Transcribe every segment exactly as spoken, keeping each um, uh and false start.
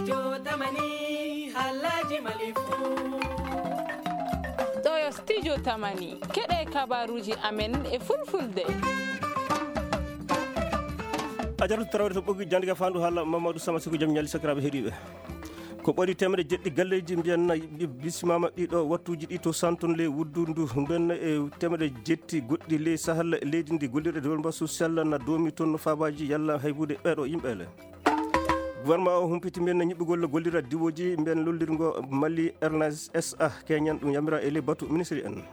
Jotamani, Alhaji Malifu. Ɗo yo Studio Tamani. Keɗe kabaruji amen e fulfulde. A jaratu tarawde to ɓoggi jannde ka faandu haala Mamadou Sama Siko, jam ñalli sakiraaɓe heɗiiɓe. Ko ɓuri teemedde jeɗɗi galleeji mbiyan na bisimama ɗiɗo wattuuji ɗi to santon le wuddundu mbiyan e teemedde jetti goɗɗi le sahal leydi ndi gollirɗe développement social na doomi toon no faabaaji yalla haybude ɓeeɗo yimɓe le. Gouvernement o humpiti mbiyan na ñiɓɓugol gollira diwoji mbiyan lollirgo Mali Airlines S A keñan ɗum yamira e le batu ministre en.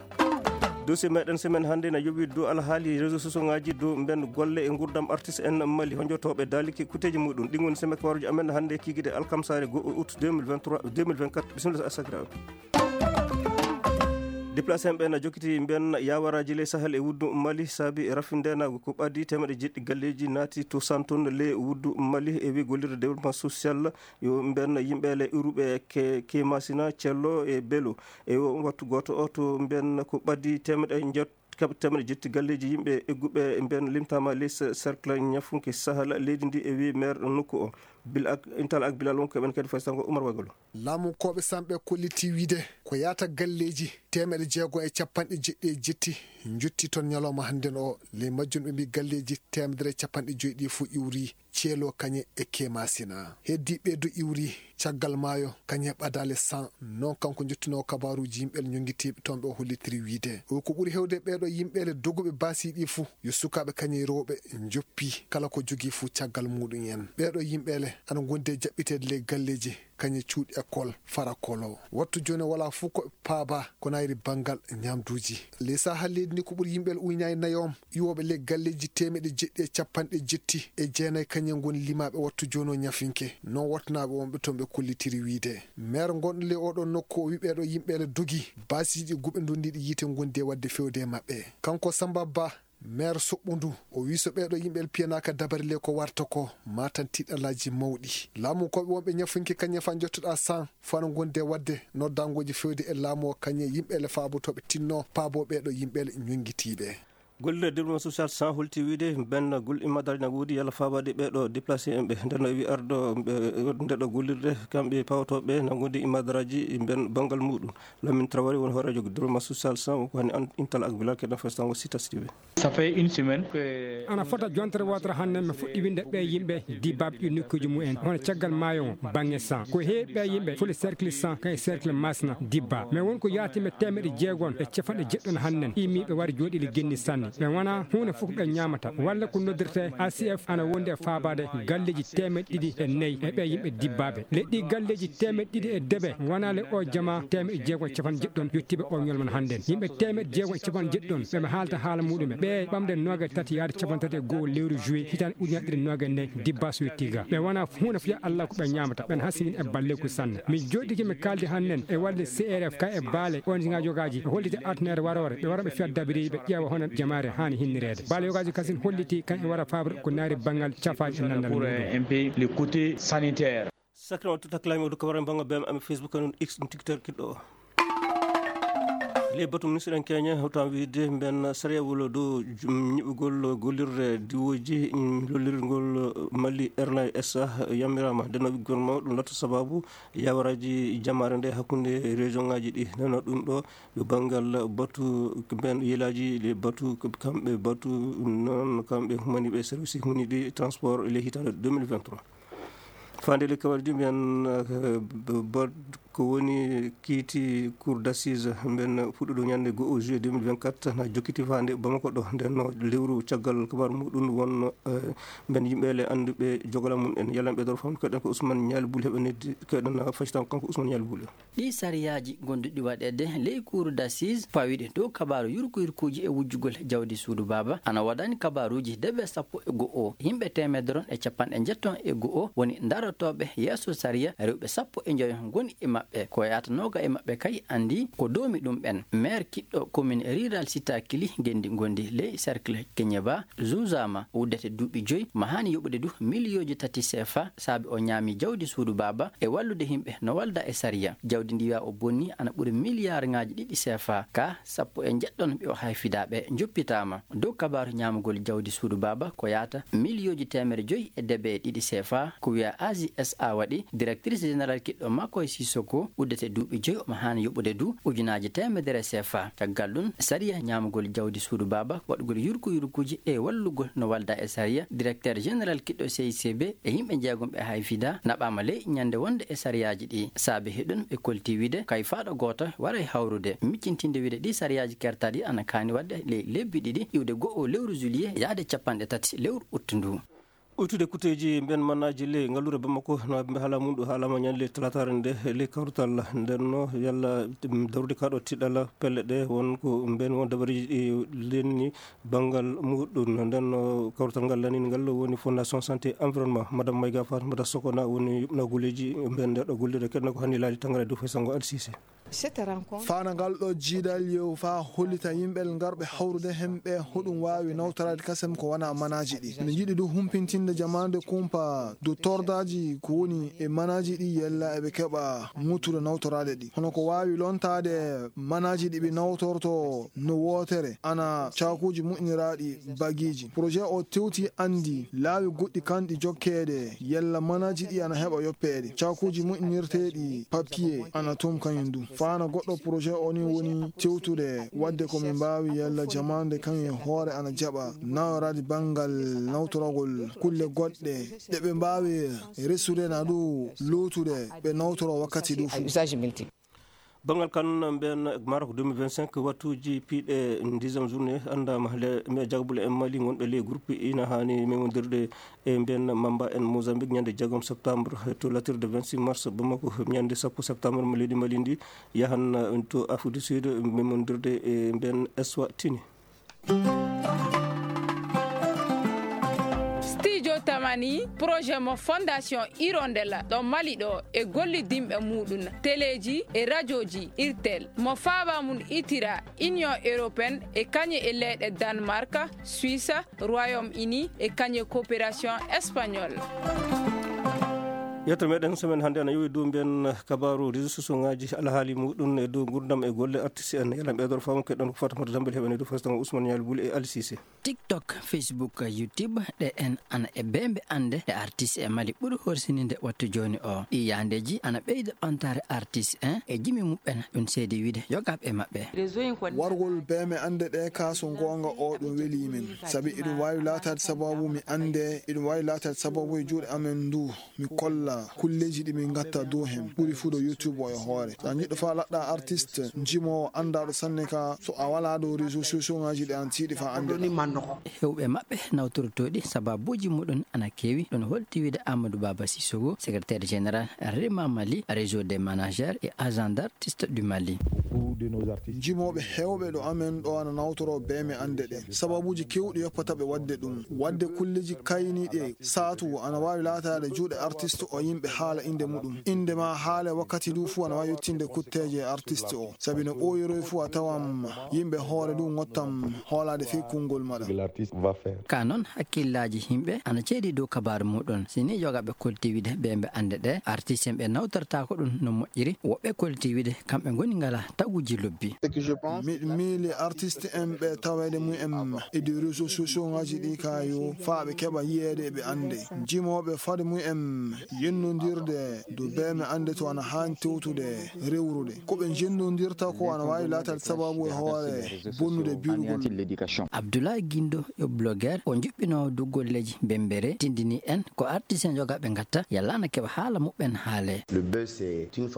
Dossier meɗen semaine hannde na yowi dow alhaali réseau sociaux ngaji dow mben golle e ngurdam artiste en Mali honjotoɓe daaliki kuteji muɗum. Ɗin woni semaine kabaruji amen hannde kikide alkamsare go août deux mille vingt-trois, deux mille vingt-quatre. Bisimilla sakiraaɓe. Déplacé en ɓen na jokkiti mbiyan yawaraji ley Sahel e wuddu Mali saabi e rafindena ko ɓaddi temeɗe jeɗɗi galleji naati to santon le wuddu Mali e wi gollirde développement social yo mbiyan yimɓe le iruɓe ke, ke masina cello e belo e o wattu goto o to mbiyan ko ɓaddi temeɗe jot kaɓe temeɗe jetti galleji yimɓe egguɓe mbiyan limtama les cercle ñafunke Sahel leydi ndi e wi maire nokku o bil ak intal ak bilal wonko ɓen kadi fasitango Oumar Wagolo. Laamunkooɓe Samɓe kolliti wiide ko yaata galleeji teemeɗe jeego e capanɗe jeɗɗi e jetti njotti toon ñalawma hannden o. Ley majjum ɓe mbii galleeji teemedere e capanɗe joyi ɗi fof iwri ceelo kañe e kemasina. Heddii ɓee du iwri caggal maayo kañe ɓadaale san. Noon kanko njottinoo kabaaruuji yimɓe ñonngitiiɓe toon ɓe o hollitiri wiide o ko ɓuri heewde ɓeeɗo yimɓe le doguɓe baasi ɗi fof yo sukaaɓe kañe rewɓe njoppi kala ko jogii fof caggal muɗum en. Ɓeeɗo yimɓe le ana ngondi e jaɓɓiteede ley galleeji kañe cuuɗi école fara kolo. Wattu jooni wala fof ko paaba ko nayri banngal ñaamduuji. Ley sahaa leydi ndi ko ɓuri yimɓe le uynaani nayoom iwooɓe ley galleeji teemeɗe jeɗɗi e capanɗe jetti e jeenayi kañe ngoni limaaɓe wattu jooni o ñafinke. Noon wattunaaɓe wonɓe toon ɓe kollitiri wiide. Meer ngonɗo ley oɗo nokku o wi ɓeeɗo yimɓe le dogi baasiiji guɓe ndondiiɗi yiite ngondi e waɗde fewde e maɓɓe. Kanko Samba Ba, meer soɓɓundu o wi so ɓeeɗo yimɓe le piyanaaka dabari le ko warta ko matan tiɗalaaji mawɗi. Laamunkooɓe wonɓe ñafunke kañe fa njottoɗaa san fano gonde waɗde noddangooji fewde e laamu o kañe yimɓe le faabotooɓe tinno paabo ɓeeɗo yimɓe le ñonngitiiɓe. Gollirde développement social san holti wiide bennagol immadaji na woodi yalla faabaade ɓeeɗo déplacé en ɓe ndenno wi arɗo ndeɗo gollirde kamɓe pawotooɓe na gondi immadaji ben banngal muɗum. Lamin Traoré woni hooreejo développement social san ko hani intal ak bilal keɗen festango sita sidiɓe. Ça fait une semaine que ana fota jontere wootere hannde mi fuɗɗi winde ɓe yimɓe dibbaaɓe ɗi nokkuuji mumen hono caggal maayo o baŋŋe san ko heewi ɓe yimɓe foti cercle san kay cercle masna dibba mais won ko yaati mi teemeɗe jeegom e capanɗe jeɗɗon hannden imiiɓe wari jooɗiili genni sanne ɓe wona huunde fof ɓe ñaamata walla ko noddirte A C F ana wondi e faabaade galleeji teemeɗe ɗiɗi e nayi e ɓe yimɓe dibbaaɓe leɗɗi galleeji teemeɗe ɗiɗi e deɓe wonale o jama teemeɗe jeegom e capanɗe jeɗɗon yettiiɓe o ñolman hannden yimɓe teemeɗe jeegom e capanɗe jeɗɗon ɓe ɓe haalta haala muɗumen ɓe ɓamde noogaye tati yaade capanɗe tati e go'o lewru juillet hitaande ujunere ɗiɗi noogaye nayi dibba so yetti ga ɓe wona huunde fiya Allah ko ɓe ñaamata ɓen hasingin e balleku sanne min jooɗike mi kaaldi hannen e walde C R F ka e baale O N G ngaji yogaji e holliti artinere warore ɓe wara ɓe fiya dabiriɓe ƴeewa hono jamaare haani hinnireede baale yogaji kasin holliti kan e wara faabre ko naari banngal cafaaji e nanndal muɗum. Sakirama tutaklami o dukka wara bannga bem ami Facebook kanun x tiktok kiɗɗo o. Ley batu ministre en keña hawtan wiide mben sariyawol dow ñiɓugol gollirde diwoji lollirgol Mali Airline S A yamirama ndeno gouvernement ɗum latta sababu yawaraji jamare nde hakkunde région ngaji ɗi neno ɗum ɗo yo banngal batu mben yilaji ɗi batu kamɓe batu noon kamɓe humaniɓe service humaniɗi transport ley hitande deux mille vingt-trois. Fande le kawaldi mbiyan bod ko woni kiiti cour d'assise mben fuɗɗuɗo ñande go'o juillet deux mille vingt-quatre na jokkiti fande bamako ɗo ndenno lewru caggal kabar muɗum wonno mben yimɓele anduɓe jogala mum en yalan ɓe dor fam keɗen ko Ousmane Ñaali Bul heɓe neddi keɗen facitan kanko Ousmane Ñaali Bul. Ɗi sariyaaji gonduɗi waɗeede ley cour d'assise pawiɗe dow kabaaru yurko yurkuuji e wujjugol jawdi suudu baaba ana waɗani kabaaruuji debe sappo e go'o yimɓe teemedere e capanɗe njetton e go'o woni darotooɓe yeeso sariya rewɓe sappo e njoyo ngoni e maɓɓe. Ɓe ko yahata nooga e maɓɓe kay anndi ko doomi ɗum ɓen. Maire kiɗɗo commune rurale Sitakili, ngenndi ngondi ley cercle Keñeba, zuuzaama uddete duuɓi joyi, ma haani yoɓude du miliyooji tati sefa, saabi o ñaami jawdi suudu baaba e wallude yimɓe no walda e sariya. Jawdi ndi wiya o bonni ana ɓuri miliyaarŋaaji ɗiɗi sefa, ka sappo e njeɗɗon ɓe o hayfidaaɓe njoppitaama. Dow kabaaru ñaamugol jawdi suudu baaba ko yahata miliyooji teemere joyi e debe e ɗiɗi sefa, ko wiya A J S A waɗi, directrice générale kiɗɗo Makoy Sissoko uddete duuɓi joyi, omo haani yoɓude du ujunaaji teemedere sefa. Caggal ɗum, sariya ñaamugol jawdi suudu baaba, waɗugol yurku yurkuuji e wallugol no walda e sariya, directeur général kiɗɗo C I C B e yimɓe jeegom ɓe hayfida naɓaama ley ñande wonde e sariyaaji ɗi. Saabe heɗun ɓe kolti wiide kay faaɗo gooto waray hawrude, miccintinde wiide ɗi sariyaaji kertaaɗi ana kaani waɗde ley lebbi ɗiɗi, iwde go'o lewru juillet yaade capanɗe tati lewru ut ndu. Ɓuytude kuteeji mben mannaaji ley ngalluure Bamako, no mbe haala mum ɗo haalama ñande talataare nde ley kawrital. Nden no yalla, mm, darude kaɗo tiɗala pelle ɗe won ko mben won dabareeji ɗi lenni banngal muɗum. Nden no kawrital ngal lanini ngal woni Fondation Santé Environnement. Madame Mayga Fatimata Sokona woni yuɓna golleeji mben nde ɗo gollirde keɗna ko hanni laali tangara dow fay sango Alsise. Cette rencontre. Fana ngal ɗo jiidal yew fa hollita yimɓe ngarɓe hawrude hemɓe hoɗum waawi nawtoraade kasem ko wana manaaji ɗi. Ene jiɗi du humpintinde jamaande kumpa du tordaaji ko woni e manaaji ɗi yella eɓe keɓa ŋuttude nawtoraade ɗi. Hono ko waawi lontaade manaaji ɗi ɓe nawtorto no wootere ana caakuuji moƴƴiniraaɗi bagiiji. Projet o tewti anndi laawi goɗɗi kanɗi jokkeede yalla manaaji ɗi ana heɓa yoppeede. Caakuuji moƴƴinirteeɗi papier ana toon kañum du. Fana goɗɗo projet o ni woni tewtude waɗde ko min mbaawi yalla jamaande kañum e hoore ana jaɓa nawraade banngal nawtoragol kulle goɗɗe ɗe ɓe mbaawi resude na du luutude ɓe nawtoro wakkati du fof. Banngal kan mbiyen Maroc deux mille vingt-cinq, wattuuji piiɗe dixième journée anndaama. Le, mais jagabule en Mali wonɓe ley groupe ina haani memondirde e mbiyen Mamba en Mozambique ñande jeegom septembre to latirde vingt-six mars Bamako. Ñande sappo septembre mo leydi Mali ndi yahan, uh, to Afrique du Sud memondirde e mbiyen Eswatini. Studio Tamani, projet mo Fondation Hirondelle ɗo Mali ɗo e gollidinɓe muɗum, teleeji e rajooji, irtel, mo faaba mum itira Union Européenne e kañe e leyɗe Danemark, Suisse, Royaume-Uni e kañe coopération espagnole. Yetto meɗen semaine hannde ana yowi dow mbiyen kabaaru réseaux sociaux ŋaaji, alhaali muɗum e dow ngurdam e golle artiste en. Yalla ɓeydoro faamu keɗon ko Fatimata Dambel heɓani dow fas tan Ousmane Ñaali Buli e Ali Cissé. TikTok, Facebook, YouTube, ɗe en ana e beembe annde ɗe artiste e Mali ɓuri horsininde wattu jooni o. Ɗi yahandeeji ana ɓeyda ɓantaare artiste en e jimi muɓɓen, ɗum seedi wiide yogaaɓe e maɓɓe. Wargol beeme annde ɗe ka so goonga o ɗum welii min. Sabi iɗum waawi laataade sababu mi annde, iɗum waawi laataade sababu e juuɗe amen ndu. Mi kolla kulleeji ɗi min ngatta dow hen. Ɓuri fuu ɗo YouTube o e hoore. So a jiɗɗo faa laɗɗa artiste, jimoowo anndaaɗo sanne ka, so a walaa ɗo réseaux sociaux ŋaaji ɗi an tiiɗi faa annde ɗa. Heewɓe maɓɓe nawtortooɗi sababuuji muɗum ana keewi. Ɗum holti wiide Amadou Baba Sissoko, secrétaire général Rema Mali, réseau des managers et agents d'artistes du Mali. Jimooɓe heewɓe ɗo amen ɗo ana nawtoro beeme annde ɗe. Sababuuji keewɗi yoppata ɓe waɗde ɗum. Waɗde kulleeji kayniiɗe saatu ana waawi laataade juuɗe artiste o yimɓe haala innde muɗum. Innde ma haale wakkati du fuu ana waawi yettinde kutteeje artiste o. Sabi no ɓooyoroy fuu a tawan yimɓe hoore du ngottam hoolaade fii konngol maɗa. Ka noon, hakkillaaji yimɓe ana ceedi dow kabaaru muɗum. Si ni yogaaɓe kolti wiide beembe annde ɗe, artiste en ɓe nawtortaako ɗum no moƴƴiri, woɓɓe kolti wiide kamɓe ngoni ngala taguuji lobbi. Miɗo miili artiste en ɓe taweede mum en e ɗi réseaux sociaux ŋaaji ɗi ka yo faa ɓe keɓa yiyeede e ɓe annde. Jimooɓe fade mum en yennondirde dow beeme annde to ana haani tewtude rewrude. Ko ɓe jennondirta ko ana waawi laataade sababu e hoore bonnude birugol. Abdoulaye Guindo yo blogger, o juɓɓinoowo dow golleeji bembere, tindini en ko artiste en yogaaɓe ngatta yalla ana keɓa haala muɓɓen haale.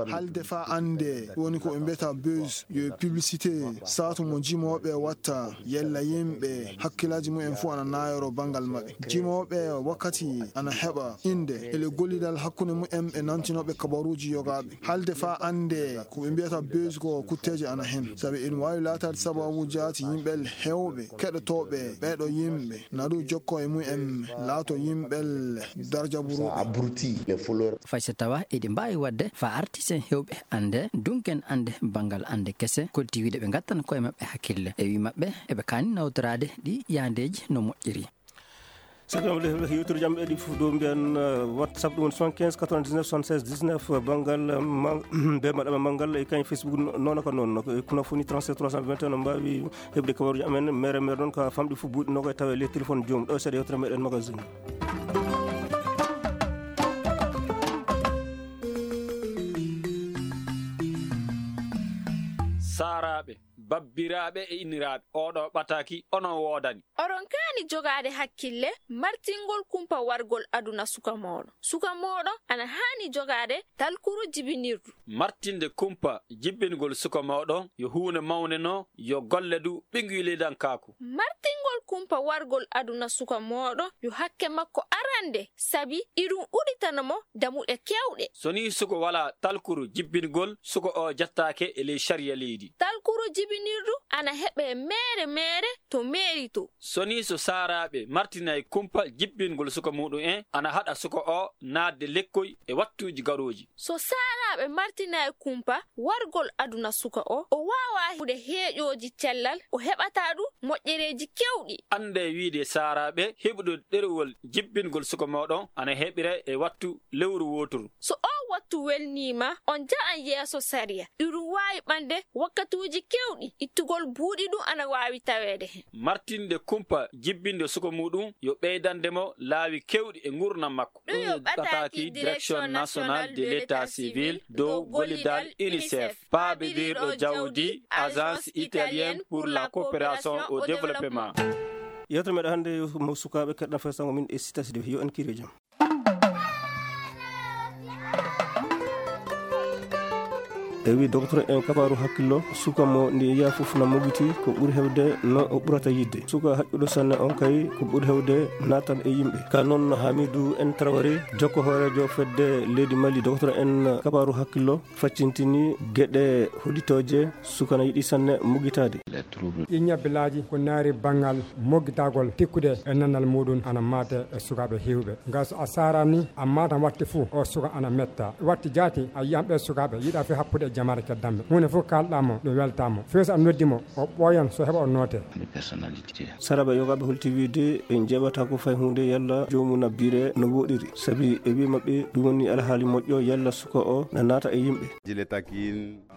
Haalde faa annde woni ko ɓe mbiyata buzz, yo publicité saatu mo jimooɓe watta yalla yimɓe hakkillaaji mum en fuu ana naayoro banngal maɓɓe. Jimooɓe wakkati ana heɓa innde e le gollidal Hakkunde mumen e nantinooɓe kabaruuji yogaaɓe. Haalde faa annde ko ɓe mbiyata buzz ko kutteeje ana heen. Sabi ina waawi laataade sabaabu jaati yimɓe heewɓe keɗotooɓe ɓeeɗo yimɓe. Naɗu jokko e mumen laato yimɓe darja buruuɓe. Fay so tawa eɗi mbaawi waɗde faa artiste en heewɓe annde, dunken annde banngal annde kese, kolti wiide ɓe ngattan koye maɓɓe hakkille. E wii maɓɓe, eɓe kaani nawtoraade ɗi yahandeeji no moƴƴiri. Sakkam le yewtere jam eɗi fof dow mbiyan, eh, WhatsApp ɗum woni soixante-quinze quatre-vingt-dix-neuf soixante-seize dix-neuf, eh, banngal, eh, ma-, be maɗama manngal e kañ Facebook no-, noon ka noon. No ko e kuna foni trente-sept trois cent vingt et un no mbaawi heɓde kabaruuji amen mere mere noon ka famɗi fof buuɗi noga e tawa e ley téléphone joom ɗo seeɗa yewtere meɗen magazine. Saaraaɓe. Babbiraaɓe e inniraaɓe, oɗo ɓataaki onon woodani. Oɗon kaani jogaade hakkille, martingol kumpa wargol aduna suka mooɗon. Suka mooɗon ana haani jogaade talkuru jibinirdu. Martinde kumpa jibbingol suka mooɗon yo huunde mawnde no yo golle du ɓiynguy leydankaaku. Martingol kumpa wargol aduna suka mooɗon yo hakke makko arande, sabi iɗum udditana mo damuɗe keewɗe. So nii suka walaa talkuru jibbingol, suka o jettaake e ley sariya leydi. Talkuru jibinirdu ana heɓe meere meere to meeri to. So nii so saaraaɓe martinay kumpa jibbingol suka muɗum en, ana haɗa suka o naatde lekkoy e wattuuji garooji. So saaraaɓe martinay kumpa wargol aduna suka o, o waawaa heɓude heeƴooji cellal, o heɓataa du moƴƴereeji keewɗi. Annde wiide saaraaɓe heɓude ɗerewol jibbingol suka mooɗon ana heɓire e wattu lewru wooturu. So oo wattu welniima, on nja'an yeeso sariya. Iɗum waawi ɓande wakkatuuji keewɗi, ittugol buuɗi ɗum ana waawi taweede heen. Martinde kumpa jibbinde suka muɗum yo ɓeydande mo laawi keewɗi e nguurndam makko. Ɗum yo ɓataaki Direction Nationale de l'État Civil dow gollidal UNICEF, paabirirɗo jawdi Agence Italienne pour la Coopération au Développement. Yewtere meɗen hannde mo sukaaɓe keɗɗa fay sango min e sitasiɗo yo en kiri jam. E wi docteur en kabaaru hakkillo, suka mo ndi yiya fof na mogiti ko ɓuri hewde no o ɓurata yidde. Suka haƴƴuɗo sanne on kay ko ɓuri hewde naatan e yimɓe. Ka noon Hamidou en Traoré, jokko hooreejo fedde leydi Mali, docteur en kabaaru hakkillo, faccintini geɗe hollitooje suka na yiɗi sanne mogitaade. Ɗi ñabbelaaji ko naari banngal moggitagol tikkude e nannal muɗum ana maate e sukaaɓe heewɓe. Ngal so a saaraani, a maatan watti fuu, o suka ana metta. Watti jaati, a yiyan ɓee sukaaɓe yiɗa fii happude e jamaare keddanɓe. Huunde fof kaalɗaa mo, ɗum weltaa mo. Fii so a noddi mo, o ɓooyan so heɓa o noote. Saraaɓe yogaaɓe holti wiide ɓe njeeɓata ko fay huunde yalla joomum na biire no woɗiri. Sabi e wii maɓɓe ɗum woni alhaali moƴƴo yalla suka o na naata e yimɓe.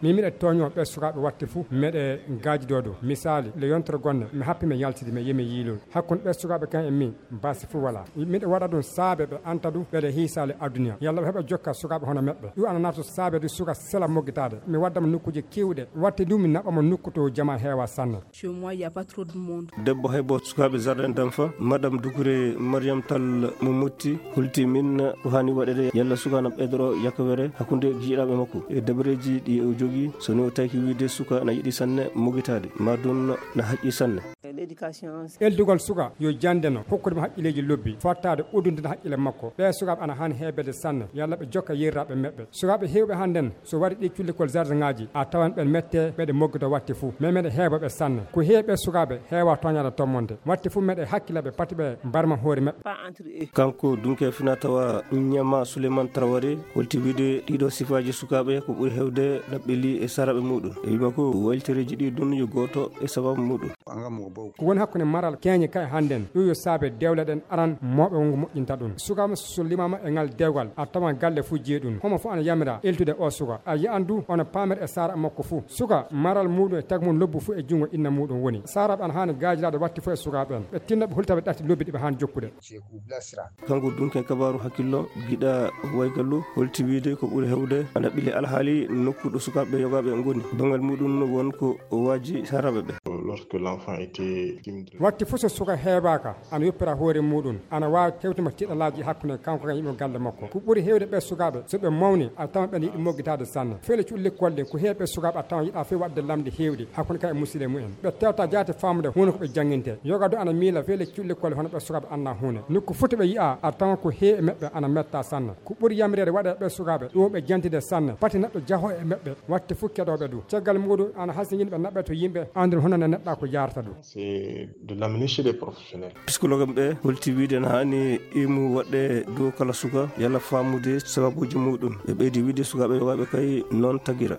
Min miɗa tooñoo ɓee sukaaɓe watte fuu, meɗe ngaajidoo ɗum. Misaali, le yontere gonnde, mi happi mi yaltidi, mi yehi mi yiiloyi. Hakkunde ɓee sukaaɓe kan e min, baasi fuu walaa. Miɗa waɗa ɗum saabe ɓe anta ɗum, ɓeɗe hiisaali aduniya. Yalla ɓe heɓa jokka sukaaɓe hono meɓɓe. Ɗum ana naata saabe ɗum suka sela moggitaade. Mi wadda mo nokkuuje keewɗe. Watte ɗum mi naɓa mo nokku to jama heewa sanne. Chez moi, il y a pas trop de monde. Debbo haybo sukaaɓe Jardin d'enfants, Madame Doucouré Mariam Tall mo Motti, holti min ko haani waɗede yalla suka na ɓeydoro yakkawere hakkunde jiyɗaaɓe makko. E dabareeji ɗi o jogii, so ni o tawki wiide suka na yiɗi sanne mogitaade, ma ɗum na haƴƴi sanne. L'éducation. Eldugol suka yo jannde no, hokkude mo haqqilleeji lobbi, fottaade uddunde haqqille makko. Ɓee sukaaɓe ana haani heebeede sanne, yalla ɓe jokka yeriraaɓe meɓɓe. Sukaaɓe heewɓe hannden, so wari ɗi cullikol jardin ŋaaji, a tawan ɓen mette, ɓeɗe moggito watte fuu. Mais meɗe heewa ɓe sanne. Ko heewi ɓe sukaaɓe heewa tooñaade tommonde. Watte fuu meɗe hakkila ɓe, pati ɓe mbarma hoore maɓɓe. Kanko dunke fina tawa Ñama Souleymane Traoré holti wiide ɗiɗo sifaaji sukaaɓe ko ɓuri heewde ɗaɓɓili e saraaɓe muɗum. E wima ko waylitereeji ɗi ɗum yo gooto e sababu muɗum. Ko woni hakkunde maral keeñe kay hannden, ɗum yo saabe dewle ɗen aran mawɓe wongo moƴƴinta ɗum. Sukaaɓe so limaama e ngal dewgal, a tawan galle fuu jeyi ɗum. Homo fuu ana yamira eltude o suka. A yi'an du ono paamir e saara makko fuu. Suka maral muɗum e tag mum lobbu fuu e junngo inna muɗum woni. Saaraaɓe ana haani gaajilaade watti fuu e sukaaɓe ɓen. Ɓe tinna ɓe hulta ɓe ɗatti lobbi ɗi ɓe haani jokkude. Kanko dunke kabaaru hakkillo, giɗa waygallu, holti wiide ko ɓuri heewde ana ɓile alhaali nokku ɗo sukaaɓe yogaaɓe ngoni. Banngal muɗum won ko o waaji saaraaɓe ɓe. Lorsque l'enfant était Watti fof so suka heebaaka, ana yoppira hoore muuɗum, ana waawi tewtuma tiɗalaaji hakkunde kanko e yimɓe galle makko. Ko ɓuri heewde ɓee sukaaɓe, so ɓe mawni, a tawan ɓe yiɗi moggitaade sanne. Feele cuɗi lekkol ɗin, ko heewi ɓee sukaaɓe a tawan yiɗa few waɗde lamɗi heewɗi hakkunde ka e musidɓe mumen. Ɓe tewta jaati faamude huunde ko ɓe jannginte. Yoga du ana miila feele cuɗi lekkol hono ɓee sukaaɓe annaa huunde. Nokku foti ɓe yi'a, a tawan ko heewi e maɓɓe ana metta sanne. Ko ɓuri yamireede waɗa e ɓee sukaaɓe, ɗum ɓe jantide sanne. Pati neɗɗo jaho e maɓɓe, watte fof keɗooɓe du. Caggal muuɗum, ana hasingini ɓe naɓɓe to yimɓe, anndun hono ne neɗɗa ko yarata du. C'est de l'amnésie des professionnels. Psikologue ɓe holti wiide na haani imu waɗɗe dow kala suka, yalla faamude sababuuji muuɗum. Ɓe ɓeydi wiide sukaaɓe yogaaɓe kay noon tagira.